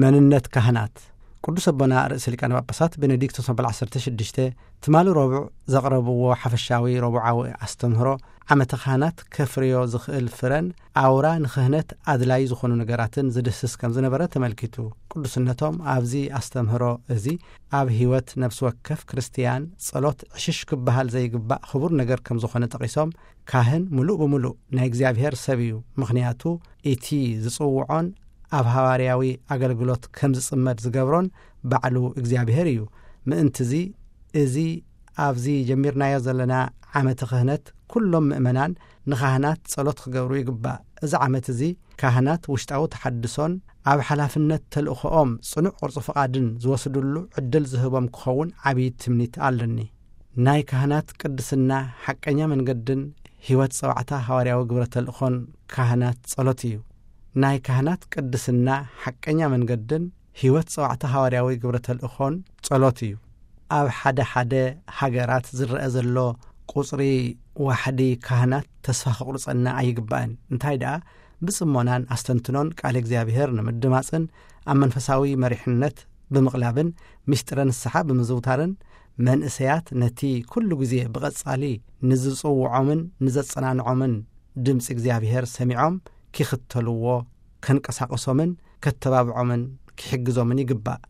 መንነት ካህናት። ቅዱስ ኣቦና ርእሰ ሊቃነ ጳጳሳት ቤኔዲክቶስ መበል ዓሰርተ ሽዱሽተ ትማሊ ረቡዕ ዘቕረብዎ ሓፈሻዊ ረቡዓዊ ኣስተምህሮ ዓመተ ካህናት ከፍርዮ ዝኽእል ፍረን ኣውራ ንክህነት ኣድላዪ ዝኾኑ ነገራትን ዝድህስስ ከም ዝነበረ ተመልኪቱ። ቅዱስነቶም ኣብዚ ኣስተምህሮ እዚ ኣብ ህይወት ነፍሲ ወከፍ ክርስትያን ጸሎት ዕሽሽ ክበሃል ዘይግባእ ክቡር ነገር ከም ዝኾነ ጠቒሶም፣ ካህን ምሉእ ብምሉእ ናይ እግዚኣብሔር ሰብ እዩ፣ ምኽንያቱ እቲ ዝጽውዖን ኣብ ሃዋርያዊ ኣገልግሎት ከም ዝጽመድ ዝገብሮን ባዕሉ እግዚኣብሔር እዩ። ምእንትዚ እዚ ኣብዚ ጀሚርናዮ ዘለና ዓመተ ክህነት ኩሎም ምእመናን ንኻህናት ጸሎት ክገብሩ ይግባእ። እዚ ዓመት እዚ ካህናት ውሽጣዊ ተሓድሶን ኣብ ሓላፍነት ተልእኾኦም ጽኑዕ ቅርጹ ፍቓድን ዝወስድሉ ዕድል ዝህቦም ክኸውን ዓብዪ ትምኒት ኣለኒ። ናይ ካህናት ቅድስና ሓቀኛ መንገድን ህይወት ጸዋዕታ ሃዋርያዊ ግብረ ተልእኾን ካህናት ጸሎት እዩ። ናይ ካህናት ቅድስና ሓቀኛ መንገድን ህይወት ጸዋዕታ ሃዋርያዊ ግብረ ተልእኾን ጸሎት እዩ። ኣብ ሓደ ሓደ ሃገራት ዝረአ ዘሎ ቁጽሪ ዋሕዲ ካህናት ተስፋ ከቑርጸና ኣይግባእን። እንታይ ደኣ ብጽሞናን ኣስተንትኖን ቃል እግዚኣብሔር ንምድማጽን ኣብ መንፈሳዊ መሪሕነት ብምቕላብን ምስጢረ ንስሓ ብምዝውታርን መንእሰያት ነቲ ኩሉ ግዜ ብቐጻሊ ንዝጽውዖምን ንዘጸናንዖምን ድምጺ እግዚኣብሔር ሰሚዖም ኪኽተልዎ ከንቀሳቕሶምን ከተባብዖምን ኪሕግዞምን ይግባእ።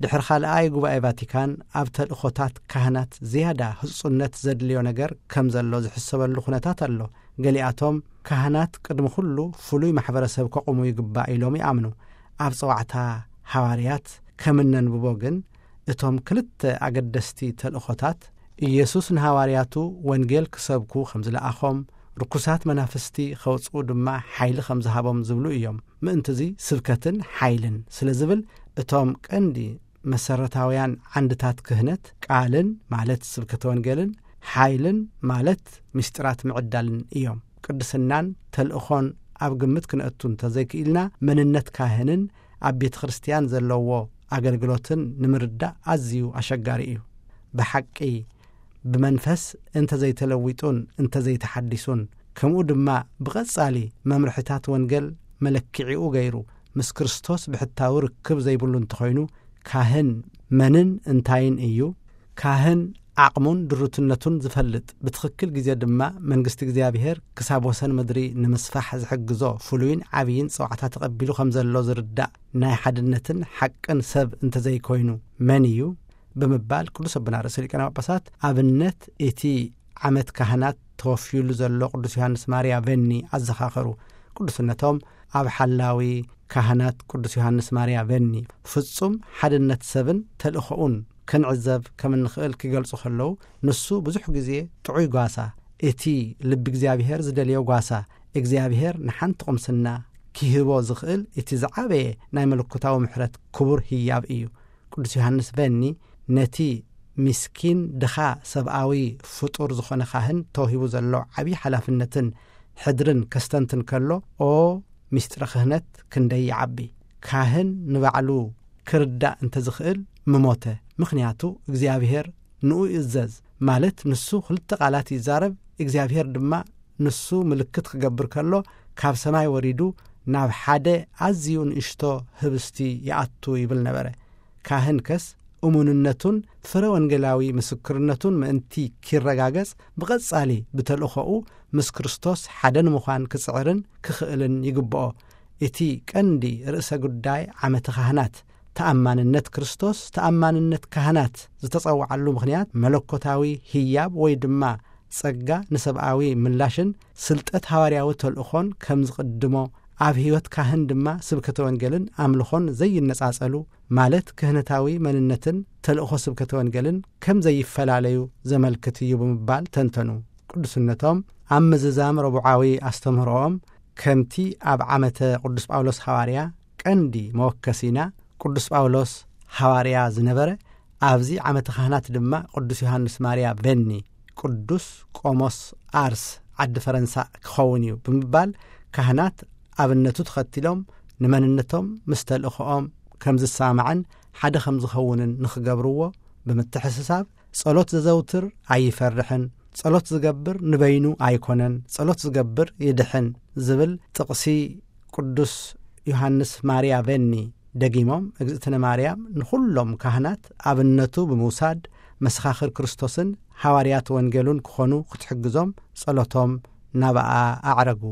ድሕሪ ካልኣይ ጉባኤ ቫቲካን ኣብ ተልእኾታት ካህናት ዝያዳ ህጹጽነት ዘድልዮ ነገር ከም ዘሎ ዝሕሰበሉ ኩነታት ኣሎ። ገሊኣቶም ካህናት ቅድሚ ኩሉ ፍሉይ ማሕበረሰብ ከቑሙ ይግባእ ኢሎም ይኣምኑ። ኣብ ጸዋዕታ ሃዋርያት ከም እነንብቦ ግን እቶም ክልተ ኣገደስቲ ተልእኾታት ኢየሱስ ንሃዋርያቱ ወንጌል ክሰብኩ ከም ዝለኣኾም፣ ርኩሳት መናፍስቲ ከውጽኡ ድማ ሓይሊ ከም ዝሃቦም ዝብሉ እዮም። ምእንትዚ ስብከትን ሓይልን ስለ ዝብል እቶም ቀንዲ መሰረታውያን ዓንድታት ክህነት ቃልን ማለት ስብከተ ወንጌልን ሓይልን ማለት ምስጢራት ምዕዳልን እዮም። ቅድስናን ተልእኾን ኣብ ግምት ክነእቱ እንተዘይክኢልና መንነት ካህንን ኣብ ቤተ ክርስቲያን ዘለዎ ኣገልግሎትን ንምርዳእ ኣዝዩ ኣሸጋሪ እዩ። ብሓቂ ብመንፈስ እንተዘይተለዊጡን እንተዘይተሓዲሱን ከምኡ ድማ ብቐጻሊ መምርሕታት ወንጌል መለክዒኡ ገይሩ ምስ ክርስቶስ ብሕታዊ ርክብ ዘይብሉ እንተኾይኑ ካህን መንን እንታይን እዩ? ካህን ዓቕሙን ድሩትነቱን ዝፈልጥ ብትኽክል ግዜ ድማ መንግስቲ እግዚኣብሔር ክሳብ ወሰን ምድሪ ንምስፋሕ ዝሕግዞ ፍሉይን ዓብይን ጸዋዕታ ተቐቢሉ ከም ዘሎ ዝርዳእ ናይ ሓድነትን ሓቅን ሰብ እንተዘይኮይኑ መን እዩ? ብምባል ቅዱስ ኣቦና ርእሰ ሊቃነ ጳጳሳት ኣብነት እቲ ዓመት ካህናት ተወፍዩሉ ዘሎ ቅዱስ ዮሃንስ ማርያ ቨኒ ኣዘኻኸሩ። ቅዱስነቶም ኣብ ሓላዊ ካህናት ቅዱስ ዮሃንስ ማርያ ቨኒ ፍጹም ሓድነት ሰብን ተልእኾኡን ክንዕዘብ ከም እንኽእል ክገልጹ ከለዉ፣ ንሱ ብዙሕ ግዜ ጥዑይ ጓሳ፣ እቲ ልቢ እግዚኣብሔር ዝደልዮ ጓሳ፣ እግዚኣብሔር ንሓንቲ ቁምስና ኪህቦ ዝኽእል እቲ ዝዓበየ ናይ መለኮታዊ ምሕረት ክቡር ህያብ እዩ። ቅዱስ ዮሃንስ ቨኒ ነቲ ምስኪን ድኻ ሰብኣዊ ፍጡር ዝኾነ ካህን ተዋሂቡ ዘሎ ዓብዪ ሓላፍነትን ሕድርን ከስተንትን ከሎ፣ ኦ ምስጢረ ክህነት ክንደይ ይዓቢ! ካህን ንባዕሉ ክርዳእ እንተዝኽእል ምሞተ። ምኽንያቱ እግዚኣብሔር ንኡ ይእዘዝ፣ ማለት ንሱ ክልተ ቃላት ይዛረብ፣ እግዚኣብሔር ድማ ንሱ ምልክት ክገብር ከሎ ካብ ሰማይ ወሪዱ ናብ ሓደ ኣዝዩ ንእሽቶ ህብስቲ ይኣቱ ይብል ነበረ። ካህን ከስ እሙንነቱን ፍረ ወንጌላዊ ምስክርነቱን ምእንቲ ኪረጋገጽ ብቐጻሊ ብተልእኾኡ ምስ ክርስቶስ ሓደ ንምዃን ክጽዕርን ክኽእልን ይግብኦ። እቲ ቀንዲ ርእሰ ጉዳይ ዓመተ ካህናት ተኣማንነት ክርስቶስ፣ ተኣማንነት ካህናት ዝተጸውዓሉ ምኽንያት መለኮታዊ ህያብ ወይ ድማ ጸጋ ንሰብኣዊ ምላሽን ስልጠት ሃዋርያዊ ተልእኾን ከም ዝቕድሞ፣ ኣብ ህይወት ካህን ድማ ስብከተ ወንጌልን ኣምልኾን ዘይነጻጸሉ፣ ማለት ክህነታዊ መንነትን ተልእኾ ስብከተ ወንጌልን ከም ዘይፈላለዩ ዘመልክት እዩ ብምባል ተንተኑ። ቅዱስነቶም ኣብ ምዝዛም ረቡዓዊ ኣስተምህሮኦም ከምቲ ኣብ ዓመተ ቅዱስ ጳውሎስ ሃዋርያ ቀንዲ መወከሲና ቅዱስ ጳውሎስ ሃዋርያ ዝነበረ፣ ኣብዚ ዓመተ ካህናት ድማ ቅዱስ ዮሃንስ ማርያ ቨኒ ቅዱስ ቆሞስ ኣርስ ዓዲ ፈረንሳ ክኸውን እዩ ብምባል ካህናት ኣብነቱ ተኸቲሎም ንመንነቶም ምስ ተልእኾኦም ከም ዝሰማማዕን ሓደ ከም ዝኸውንን ንኽገብርዎ ብምትሕስሳብ ጸሎት ዘዘውትር ኣይፈርሕን፣ ጸሎት ዝገብር ንበይኑ ኣይኮነን፣ ጸሎት ዝገብር ይድሕን ዝብል ጥቕሲ ቅዱስ ዮሃንስ ማርያ ቨኒ ደጊሞም እግዝእትነ ማርያም ንኹሎም ካህናት ኣብነቱ ብምውሳድ መሰኻኽር ክርስቶስን ሃዋርያት ወንጌሉን ክኾኑ ክትሕግዞም ጸሎቶም ናብኣ ኣዕረጉ።